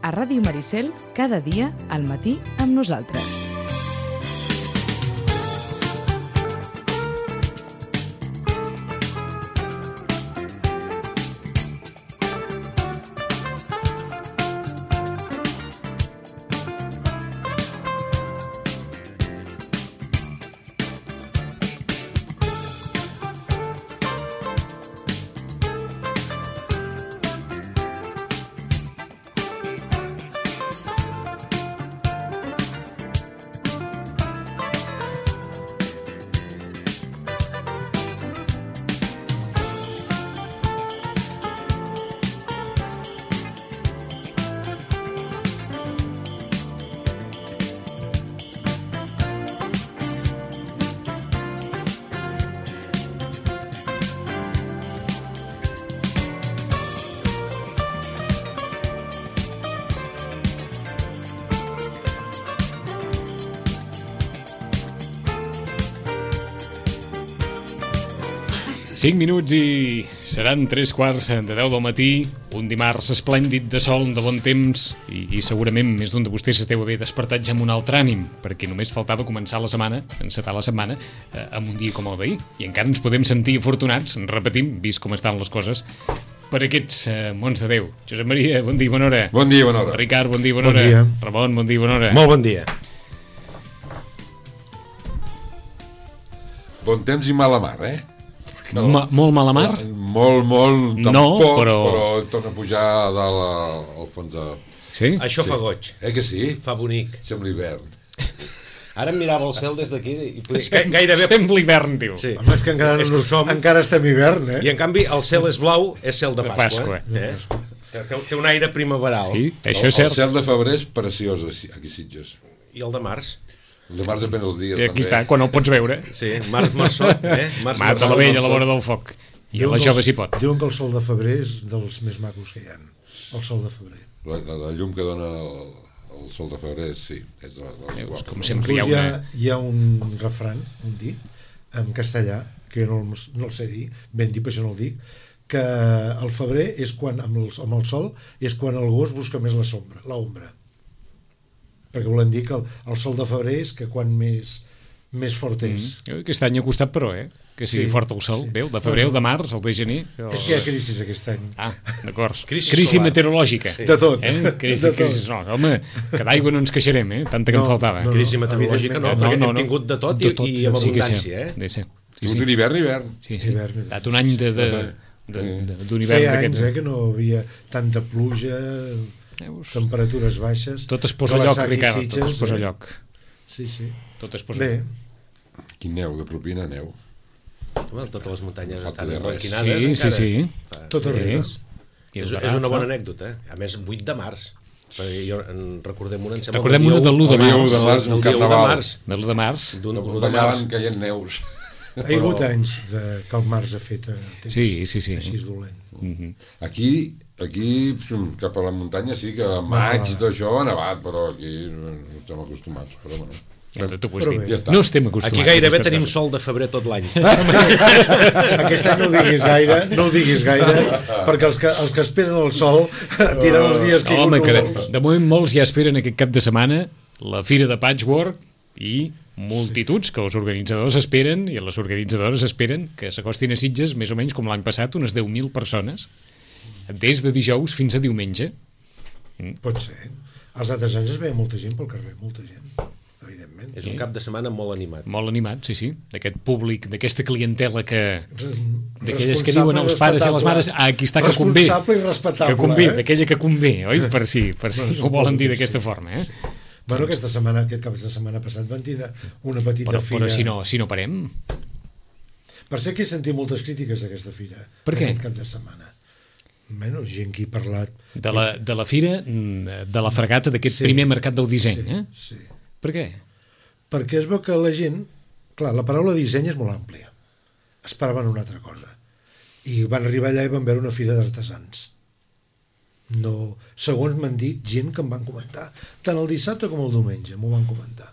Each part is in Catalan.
a Ràdio Maricel cada dia al matí amb nosaltres. Cinc minuts i seran 3:15 de 10 del matí, un dimarts esplèndid de sol, de bon temps, i segurament més d'un de vostès esteu haver despertat ja amb un altre ànim, perquè només faltava començar la setmana, encetar la setmana, amb un dia com el d'ahir, i encara ens podem sentir afortunats, repetim, vist com estan les coses, per aquests mons de Déu. Josep Maria, bon dia, bona hora. Bon dia, bona hora. Ricard, bon dia, bona hora. Bon dia. Ramon, bon dia, bona hora. Molt bon dia. Bon temps i mala mar, Molt mala mar? Molt, No, tampoc, però torna a pujar a dalt al fons de... Sí? Això fa goig, Que sí? fa bonic. Sembla hivern. Ara em mirava el cel des d'aquí i gairebé... Sembla hivern, diu. Sí. Home, és que encara, És que ho som. encara estem hivern, I en canvi el cel és blau, és cel de De Pasqua. Pasqua. Té un aire primaveral. Sí, això és El cert. cel de febrer és preciós aquí a Sitges. I el de març? El de març depèn dels dies, I aquí també. està, quan el pots veure. Sí, març marçot, Mata la vella a la vora del foc. I a la jove s'hi pot. Diuen que el sol de febrer és dels més macos que hi ha. El sol de febrer. La llum que dona el sol de febrer, sí, és de les Veus, com guapes. sempre hi ha una... Hi ha un refran, un dit, en castellà, que jo no el sé dir, ben dit, per això no el dic, que el febrer és quan, amb el sol, és quan el gos busca més l'ombra. Perquè volen dir que el sol de febrer és que quan més fort és. Aquest any ha costat, però, que sigui fort el sol. Sí. Veu, de febrer o de març, el de gener. És que hi ha crisi aquest any. Ah, d'acord. Crisi Crisi solar. meteorològica. De tot. Crisi, De tot. crisi. No, home, que d'aigua no ens queixarem, tanta que em faltava. no. Crisi meteorològica no, perquè hem tingut de tot i amb Sí que sí. abundància, Sí, sí. Ha sigut un hivern. Sí. Hivern. Ha estat un any d'un hivern Feia anys d'aquests. que no havia tanta pluja, temperatures baixes. Tot es posa a lloc, Ricard, tot es posa a lloc. Sí. Tot es posa a Bé, lloc. Quin neu, de propina, neu. Home, totes les muntanyes Falta estan de res. emblanquinades. Sí. tot arriba. És una bona anècdota. A més, 8 de març. Perquè jo en recordem una, em sembla... Recordem una de l'1 de El dia 1 març. de març, un Del dia 1 de carnaval. març. De l'1 de març. D'un 1 de març. Ballaven caient neus. Ha hagut anys que el març ha fet temps Sí. així dolent. Aquí, cap a la muntanya, sí que a maig i tot això ha nevat, però aquí no estem acostumats. Però bueno, Tu ho has Però dit. bé. Ja està. No estem acostumats. Aquí gairebé a aquestes tenim coses. sol de febrer tot l'any. Aquest any no ho diguis gaire, perquè els que esperen el sol tiren els dies que No, home, que de moment molts ja esperen aquest cap de setmana la Fira de Patchwork i multituds que els organitzadors esperen i les organitzadores esperen que s'acostin a Sitges més o menys com l'any passat, unes 10.000 persones des de dijous fins a diumenge. Pot ser. Els altres anys es veia molta gent pel carrer, molta gent, evidentment. És un cap de setmana molt animat. Molt animat, sí, d'aquest públic, d'aquesta clientela d'aquelles que Responsable diuen els pares i les mares, aquí està que convé, responsable i respectable, que convé, d'aquella que convé, oi? Per si ho volen dir d'aquesta forma, Bueno, aquest cap de setmana passat van tenir una petita fira. Però si no parem... Per ser que he sentit moltes crítiques d'aquesta fira. Per què? Aquest cap de setmana. Bueno, gent que hi ha parlat... De la fira, de la fregata d'aquest primer mercat del disseny, Sí. Per què? Perquè es veu que la gent... Clar, la paraula disseny és molt àmplia. Esperaven una altra cosa. I van arribar allà i van veure una fira d'artesans. No, segons m'han dit gent que em van comentar, tant el dissabte com el diumenge m'ho van comentar.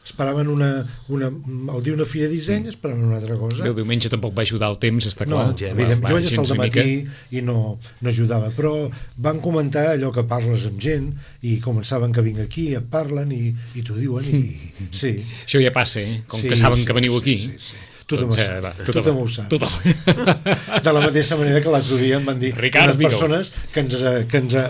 esperaven al dir una fira de disseny, esperaven una altra cosa. El diumenge tampoc va ajudar el temps, està No, clar. evident, jo vaig estar al gens dematí i no ajudava, però van comentar allò que parles amb gent i com saben que vinc aquí, et parlen i t'ho diuen i sí. Això ja passa, com Sí, que saben sí, que veniu aquí. sí. Tothom Doncs, ho sap. va, Tothom ho sap. Tothom. De la mateixa manera que l'altre dia em van dir Ricard, unes persones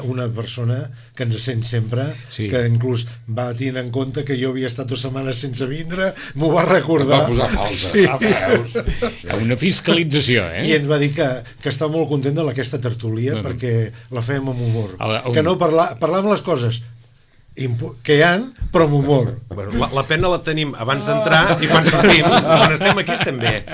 una persona que ens sent sempre, Sí. que inclús va tenir en compte que jo havia estat 2 setmanes sense vindre, m'ho va recordar. Va posar falta. Sí. Veus? Hi ha una fiscalització, I ens va dir que està molt content d'aquesta tertúlia perquè la fèiem amb humor. Que no parlàvem les coses que hi ha, però amb humor. Bueno, la pena la tenim abans d'entrar i quan sortim. Quan estem aquí estem bé.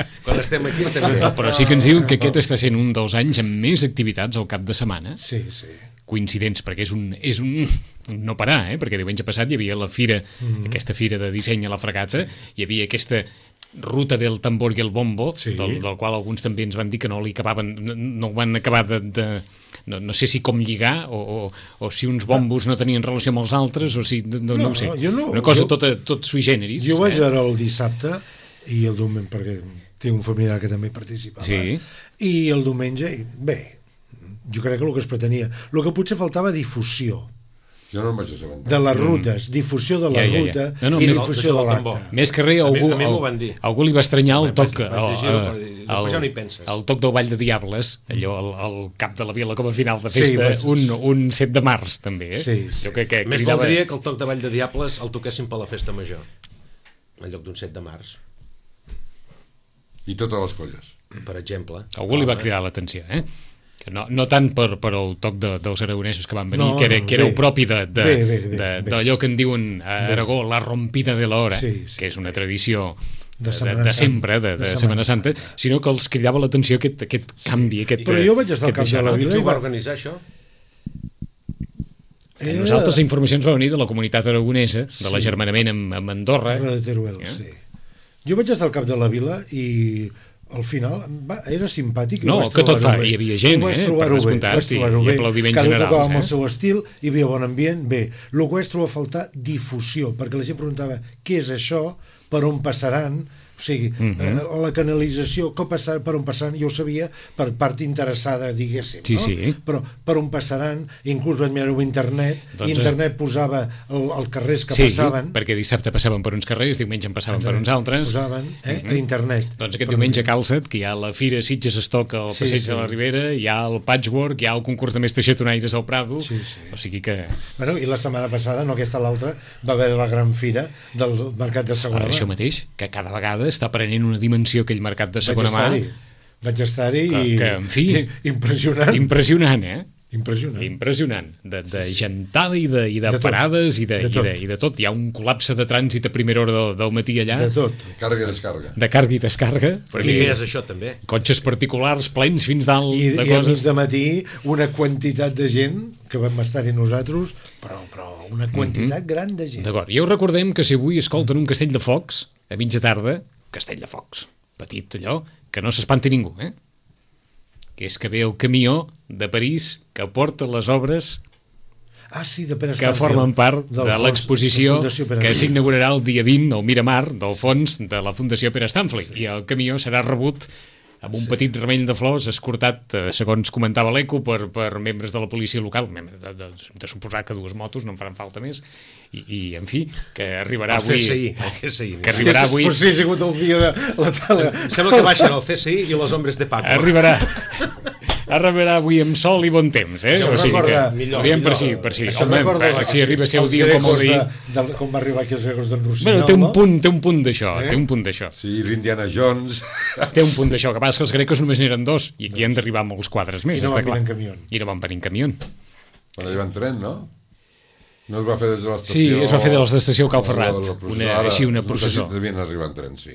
Però sí que ens diuen que aquest està sent un dels anys amb més activitats al cap de setmana. Sí, sí. Coincidents, perquè és un no parar, perquè diumenge passat hi havia la fira, aquesta fira de disseny a la Fregata, hi havia aquesta ruta del tambor i el bombo, Sí. del qual alguns també ens van dir que no li acabaven, no ho van acabar no sé si com lligar o si uns bombos no tenien relació amb els altres o si, no ho sé, una cosa tot sui generis. Jo vaig veure el dissabte i el diumenge, perquè tinc un familiar que també participava, Sí. i el diumenge, bé, jo crec que el que es pretenia, el que potser faltava difusió Jo no em vaig assabentar. de les rutes, difusió de la ruta No, i més- difusió de l'acte. Més que res, A mi m'ho van dir. algú li va estranyar el toc Vaig llegir-ho, però després ja no hi penses. el toc del Ball de Diables, allò al cap de la vila com a final de Sí, festa, un 7 de març també, Sí. Jo crec que Més cridava... valdria que el toc de Vall de Diables el toquessin per la festa major, en lloc d'un 7 de març, I totes les colles. per exemple. Algú li va cridar l'atenció, que no tant per el toc dels aragonesos que van venir, No, que era bé. el propi Bé. d'allò que en diuen a Aragó la rompida de l'hora, Sí, sí. que és una tradició De de Setmana sempre, Santa. de Setmana Santa, sinó que els cridava l'atenció aquest canvi, Però jo vaig estar al cap de la vila Qui i ho va organitzar, això? A nosaltres la informació ens va venir de la comunitat aragonesa, de l'agermanament amb Andorra. de Teruel, sí. Jo vaig estar al cap de la vila i al final era simpàtic. No, vaig que tot trobar-ho fa, bé. hi havia gent, Ho vaig per trobar-ho bé, descomptat, vaig trobar-ho i bé. aplaudiments Cada generals, tocava amb el eh? seu estil, hi havia bon ambient, bé. El que vaig trobar a faltar, difusió, perquè la gent preguntava què és això, per on passaran, o sigui, la canalització, per on passaran, jo ho sabia per part interessada, diguéssim, Sí, no? sí. Però per on passaran, inclús vaig mirar-ho a internet, Doncs, i internet posava els carrers que Sí, passaven, perquè dissabte passaven per uns carrers, diumenge en passaven per uns altres. posaven a internet. Doncs aquest diumenge a Calçat, que hi ha la Fira Sitges Estoc al Sí, Passeig sí. de la Ribera, hi ha el Patchwork, hi ha el concurs de mestres xatonaires al Prado, Sí, sí. o sigui que Bueno, i la setmana passada, no aquesta l'altra, va haver la gran fira del mercat de segona mà. això mateix, que cada vegada està prenent una dimensió aquell mercat de segona mà, Vaig estar-hi i... que, en fi, impressionant. impressionant, Impressionant. Impressionant, de gentada i de tot. parades i De tot. de tot. Hi ha un col·lapse de trànsit a primera hora del matí allà, De tot. Càrrega i descàrrega. de càrrega i descàrrega, I perquè què és això, també? cotxes particulars plens fins dalt I de a mig coses. de matí una quantitat de gent, que vam estar-hi nosaltres, però una quantitat gran de gent. D'acord, ja us recordem que si avui escolten un castell de focs, a mitja tarda, castell de focs, petit allò, que no s'espanti ningú, que és que ve el camió de París que porta les obres Ah, sí, de Pere que Stanfield, formen part del de fons, l'exposició la Fundació Pere que Stanfield. s'inaugurarà el dia 20 al Miramar del fons de la Fundació Pere Stanfield, i el camió serà rebut amb un petit remell de flors escortat, segons comentava l'Eco, per membres de la policia local, de suposar que 2 motos, no en faran falta més, i en fi, que arribarà avui... El CSI. Que arribarà avui... Però sí, ha sigut el dia de la tala. Sembla que baixen el CSI i los hombres de Paco. Arribarà avui amb sol i bon temps, Això o sigui que recorda- ho diem per si. Això Home, recorda si arriba a ser el els dia com el grecos d'ahir... com va arribar aquí els grecos d'en Rossinyol, Bueno, té un punt d'això, té un punt d'això. Sí, l'Indiana Jones. Té un punt d'això, que passa que els grecs només n'eren 2 i aquí han d'arribar molts quadres més, I no està van clar. venir en camió. I no van venir en camió. Quan allà en tren, no? No es va fer des de l'estació... Sí, es va fer de l'estació Cal Ferrat, La una processó. Devien arribar en tren, sí.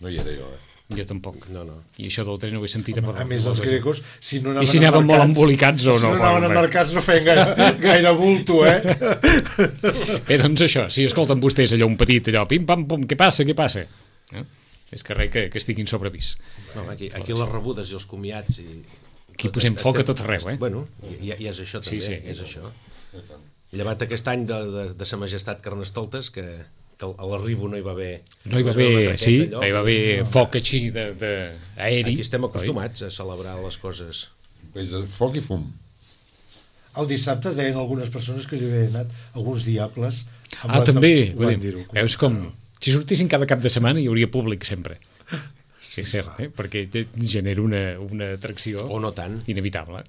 No hi era jo, Jo tampoc. No. I això del tren ho he sentit A més, els grecos, si no I si anaven molt embolicats o si no, no anaven bueno, embarcats no feien gaire bulto, Bé, doncs això, si escolten vostès allò un petit, allò, pim-pam-pum, què passa? És que res que estiguin sobrevist. No, aquí les rebudes i els comiats i... Aquí posem foc a tot arreu, Bueno, i és això també, Sí. és això. Llevat aquest any de sa majestat Carnestoltes, que a l'arribo no hi va haver... No hi va haver, sí, no hi va haver foc així d'aeri. Aquí estem acostumats a celebrar les coses. És de foc i fum. El dissabte deien algunes persones que hi havien anat alguns diables. També, veus com... Si sortissin cada cap de setmana hi hauria públic sempre. Sí, és cert, perquè genera una atracció o no tant. Inevitable.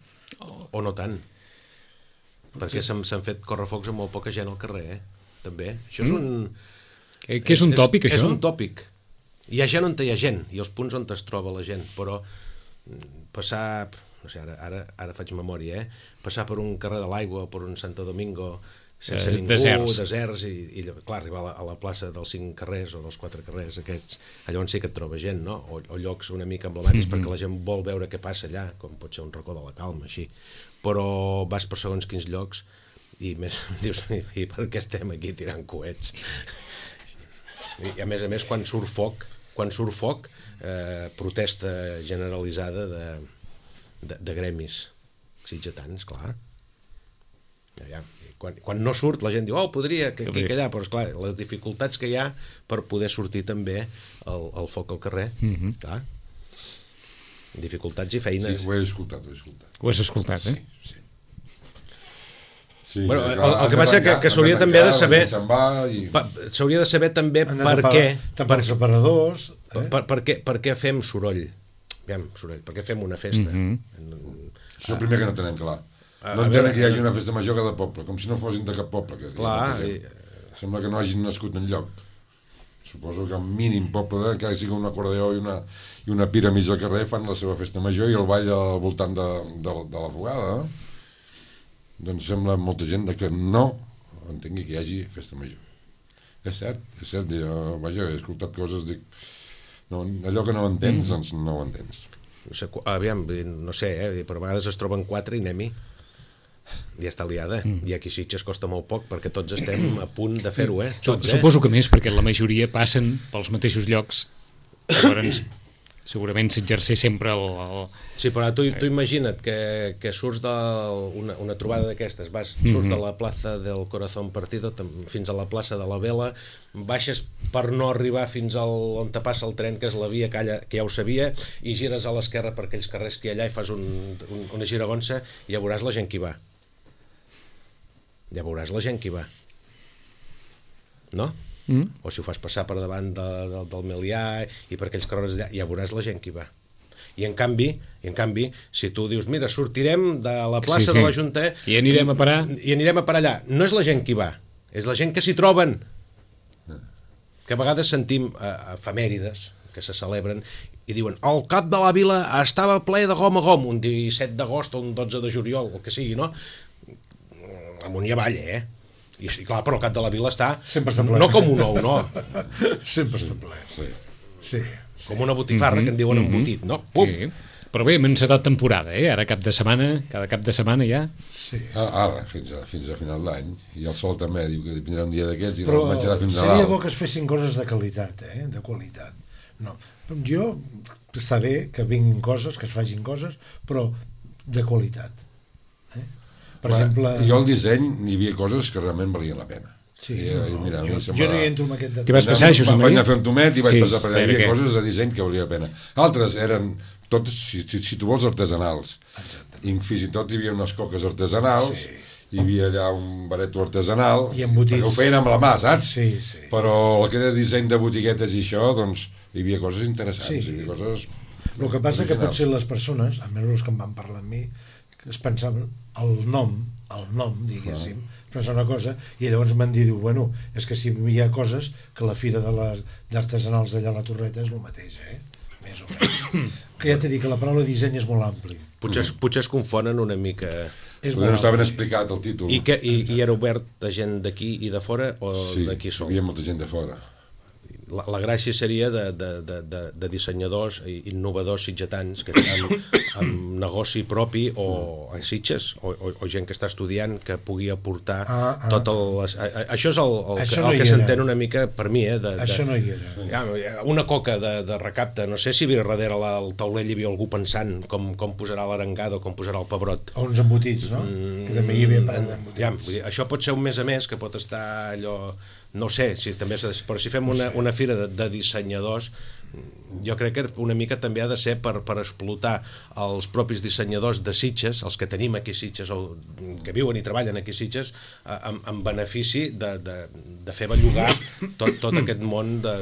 O no tant. Perquè s'han fet correfocs amb molt poca gent al carrer, també. Això és un... Que és un tòpic, això? És un tòpic. Hi ha gent on hi ha gent, i els punts on es troba la gent, però passar... No sé, ara faig memòria, passar per un carrer de l'Aigua o per un Santo Domingo sense ningú, deserts i clar, arribar a la plaça dels 5 carrers o dels 4 carrers aquests, allà on sí que et troba gent, no? O llocs una mica emblemàtics perquè la gent vol veure què passa allà, com pot ser un racó de la Calma, així. Però vas per segons quins llocs i més dius, i per què estem aquí tirant coets? I a més, quan surt foc, protesta generalitzada de gremis sitgetans, clar. Quan no surt la gent diu, podria que allà, però esclar, les dificultats que hi ha per poder sortir també el foc al carrer, clar, dificultats i feines. Sí, ho he escoltat. Ho has escoltat, Sí. Bueno, el que passa que s'hauria també de saber s'hauria de saber també per què per separadors per què fem soroll, per què fem una festa. Això és el primer que no tenen clar. No entenen que hi hagi una festa major cada poble, com si no fossin de cap poble. Clar. Sembla que no hagin nascut enlloc. Suposo que el mínim poble, que sigui un acordeó i una pira mig al carrer, fan la seva festa major i el ball al voltant de la fogada. Doncs sembla molta gent que no entengui que hi hagi festa major. És cert. Jo, vaja, he escoltat coses, dic, no, allò que no entens, doncs no ho entens. Aviam, no sé, però a vegades es troben 4 i anem-hi. Ja està liada. I aquí Sitges costa molt poc perquè tots estem a punt de fer-ho, tots, Suposo que més perquè la majoria passen pels mateixos llocs. Llavors, segurament s'exerceix sempre el... Sí, però tu imagina't que surts d'una trobada d'aquestes, surts de la plaça del Corazón Partido fins a la plaça de la Vela, baixes per no arribar fins on te passa el tren, que és la via que ja ho sabia, i gires a l'esquerra per aquells carrers que hi ha allà i fas una giragonsa i ja veuràs la gent que hi va. Ja veuràs la gent que hi va. No? O si ho fas passar per davant del Melià i per aquells carrers allà, ja veuràs la gent que hi va. I en canvi, si tu dius, mira, sortirem de la plaça de la Junta i anirem a parar allà, no és la gent que hi va, és la gent que s'hi troben, que a vegades sentim efemèrides que se celebren i diuen, el cap de la vila estava ple de gom a gom, un 17 d'agost o un 12 de juliol, el que sigui, no? Amunt i avall, I clar, però el cap de la vila està no com un ou, no? Sempre està ple. Sí. Com una botifarra que en diuen embotit, no? Sí. Però bé, hem encetat temporada, Ara cada cap de setmana ja. Sí. Ara, fins a final d'any. I el sol també diu que vindrà un dia d'aquests i no el menjarà fins a seria dalt. bo que es fessin coses de qualitat, de qualitat. No. Jo, està bé que vinguin coses, que es facin coses, però de qualitat. Per exemple... Jo al disseny hi havia coses que realment valien la pena. Sí, jo no hi entro amb aquest detall. T'hi vas passar, Josep Maria? Vaig anar a fer un tomet i vaig passar per allà. Hi havia coses de disseny que valia la pena. Altres eren totes, si tu vols, artesanals. I fins i tot hi havia unes coques artesanals, hi havia allà un bareto artesanal, i embotits. Que ho feien amb la mà, saps? Sí. Però el que era disseny de botiguetes i això, doncs hi havia coses interessants. Hi havia coses... El que passa que potser les persones, almenys els que em van parlar amb mi, es pensaven el nom, diguéssim, pensar una cosa, i llavors m'han dit, bueno, és que si hi ha coses que la fira d'artesanals d'allà a la Torreta és el mateix, més o menys. Que ja t'he dit que la paraula disseny és molt ampli. Potser es confonen una mica... No està ben explicat el títol. I era obert de gent d'aquí i de fora o d'aquí sol? Sí, hi havia molta gent de fora. La gràcia seria de dissenyadors innovadors sitgetans que tenen amb negoci propi o a Sitges o gent que està estudiant que pugui aportar tot això és el que s'entén una mica per mi això no hi era. Una coca de recapte, no sé si darrere el taulell hi havia algú pensant com posarà l'arengada o com posarà el pebrot o uns embotits, no? Que també hi havia parell d'embotits. Això pot ser un mes a més que pot estar allò, no sé, però si fem una fira de dissenyadors, jo crec que una mica també ha de ser per explotar els propis dissenyadors de Sitges, els que tenim aquí a Sitges o que viuen i treballen aquí a Sitges, en benefici de fer bellugar tot aquest món de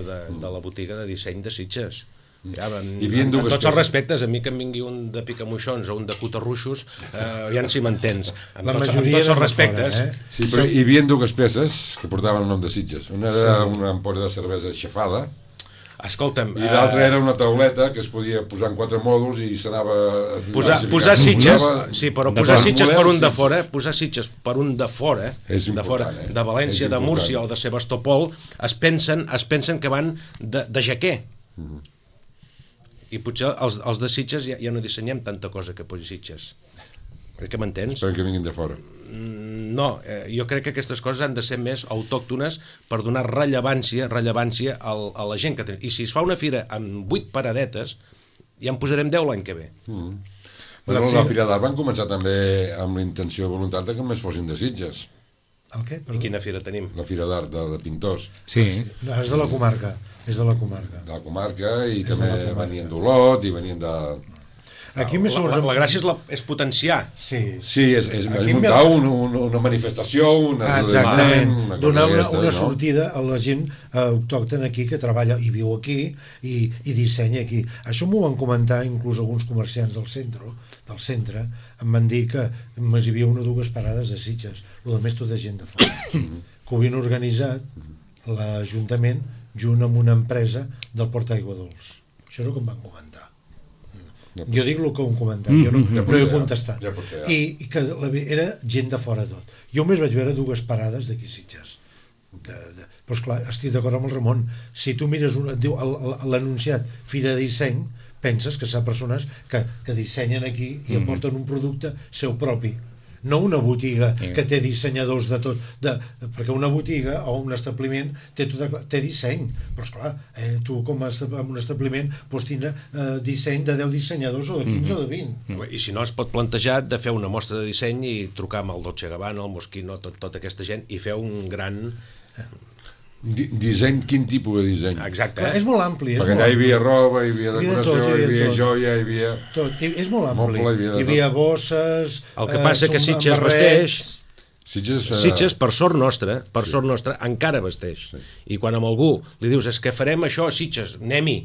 la botiga de disseny de Sitges. En tots els respectes, a mi que em vingui un de picamoixons o un de cutarruixos, ja en si m'entens. En tots els respectes. Sí, però hi havia dues peces que portaven el nom de Sitges. Una era una ampolla de cervesa aixafada, escolta'm, i l'altra era una tauleta que es podia posar en 4 mòduls i s'anava... Posar Sitges, sí, però posar Sitges per un de fora, posar Sitges per un de fora, de València, de Múrcia o de Sebastopol, es pensen que van de jaquer. I potser els de Sitges ja no dissenyem tanta cosa que posi Sitges. Que m'entens? Espero que vinguin de fora. No, jo crec que aquestes coses han de ser més autòctones per donar rellevància a la gent que tenim. I si es fa una fira amb 8 paradetes, ja en posarem 10 l'any que ve. La Fira d'Art van començar també amb la intenció i voluntat que només fossin de Sitges. El què? I quina fira tenim? La Fira d'Art de pintors. Sí. No, és de la comarca. És de la comarca. De la comarca i també venien d'Olot i venien de... Aquí la gràcia és potenciar. Sí, és muntar una manifestació, exactament, donar una sortida a la gent autòctona aquí que treballa i viu aquí i dissenya aquí. Això m'ho van comentar inclús alguns comerciants del centre, em van dir que només hi havia 1 o 2 parades a Sitges, el més tota gent de fora, que ho havien organitzat l'Ajuntament junt amb una empresa del Port Aigua Dols. Això és el que em van comentar. Jo dic el que hem comentat, jo no he contestat. I que era gent de fora tot. Jo només vaig veure 2 parades d'aquí Sitges. Però esclar, estic d'acord amb el Ramon. Si tu mires l'anunciat Fira de Disseny, penses que són persones que dissenyen aquí i aporten un producte seu propi. No una botiga que té dissenyadors de tot, perquè una botiga o un establiment té disseny, però esclar, tu com en un establiment pots tindre disseny de 10 dissenyadors o de 15 o de 20. I si no es pot plantejar de fer una mostra de disseny i trucar amb el Dolce & Gabbana, el Moschino, tota aquesta gent i fer un gran... Disseny, quin tipus de disseny? Exacte. És molt ampli. Perquè allà hi havia roba, hi havia decoració, hi havia joia, hi havia... Tot, és molt ampli. Hi havia bosses... El que passa que Sitges vesteix... Sitges, per sort nostra, encara vesteix. I quan amb algú li dius, és que farem això a Sitges, anem-hi.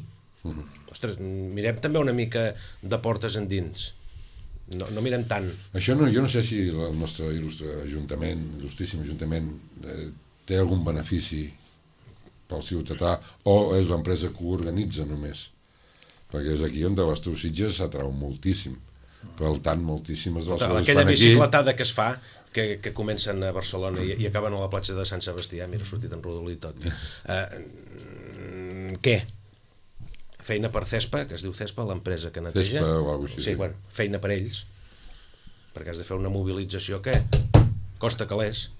Ostres, mirem també una mica de portes endins. No mirem tant. Això jo no sé si el nostre il·lustríssim Ajuntament té algun benefici pel ciutadà o és l'empresa que ho organitza només, perquè és aquí on de les teus Sitges s'atrau moltíssim, per tant moltíssimes de les coses aquella bicicletada que es fa que comencen a Barcelona i acaben a la platja de Sant Sebastià, mira, ha sortit en rodolí tot. Què? Feina per Cespa, que es diu Cespa, l'empresa que neteja. Cespa o alguna cosa així. Sí, bueno, feina per ells, perquè has de fer una mobilització que costa calés.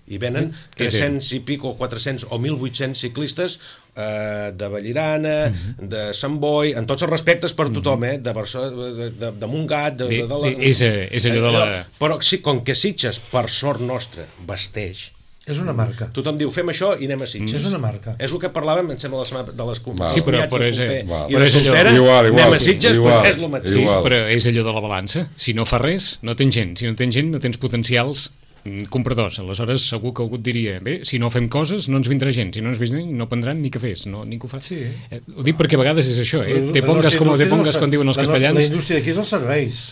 I venen 300 i pico, 400 o 1.800 ciclistes de Vallirana, de Sant Boi, en tots els respectes per tothom, de Barcelona, de Montgat, és allò de la... Però sí, com que Sitges, per sort nostra, vesteix, és una marca. Tothom diu, fem això i anem a Sitges. És una marca. És el que parlàvem, em sembla, de les sí, però de solter i de és soltera, anem a Sitges, doncs és el mateix. Sí, però és allò de la balança. Si no fa res, no tens gent. Si no tens gent, no tens potencials compradors. Aleshores segur que algú et diria, bé, si no fem coses no ens vindrà gent, si no ens vindran no prendran ni cafès, ningú fa. Sí. Ho dic perquè a vegades és això, te pongas como te pongas, com diuen els castellans. La indústria d'aquí és els serveis.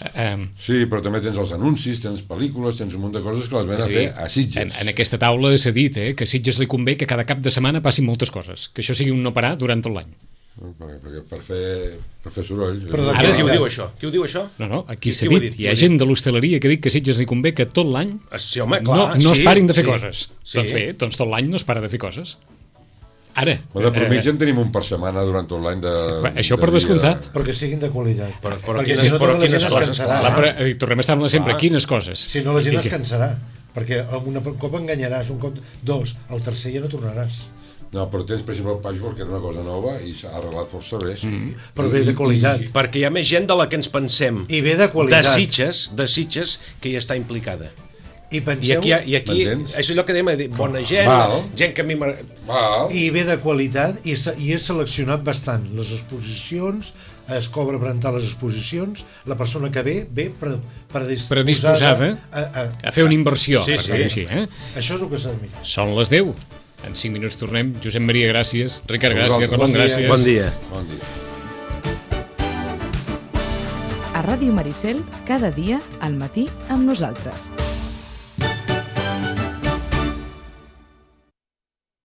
Sí, però també tens els anuncis, tens pel·lícules, tens un munt de coses que les ven a fer a Sitges. En aquesta taula s'ha dit que a Sitges li convé que cada cap de setmana passin moltes coses, que això sigui un no parar durant tot l'any. Per fer soroll. Ara qui ho diu això? Qui ho diu això? No, aquí s'ha dit. Hi ha gent de l'hostaleria que ha dit que a Sitges li convé que tot l'any sí, home, clar, no es parin de fer coses. Doncs bé, tot l'any no es para de fer coses. Ara... De mitja en tenim un per setmana durant tot l'any de... Això per descomptat. Però que siguin de qualitat. Però perquè quines- si no, però tota la quines gent es coses, cansarà. clar. Tornem a estar amb la sempre. Clar. Quines coses? Si no, la gent I es que- cansarà. Perquè amb un cop enganyaràs, un cop, dos, el tercer ja no tornaràs. No, però tens, per exemple, el patchwork, que era una cosa nova i s'ha arreglat força bé. Però ve de qualitat. Perquè hi ha més gent de la que ens pensem. I ve de qualitat. De Sitges, que hi està implicada. I I penseu... aquí M'entens? és allò que dèiem, bona gent, Val. gent que a mi Val. I ve de qualitat i és seleccionat bastant. Les exposicions, es cobra per entrar a les exposicions, la persona que ve Predisposada a fer una inversió, Sí, per sí. dir-ho així. Això és el que s'ha de mirar. Són les 10. En 5 minuts tornem. Josep Maria, gràcies. Ricard, A gràcies. vosaltres. Ramon, Bon dia. gràcies. Bon dia. Bon dia. A Ràdio Maricel, cada dia al matí amb nosaltres.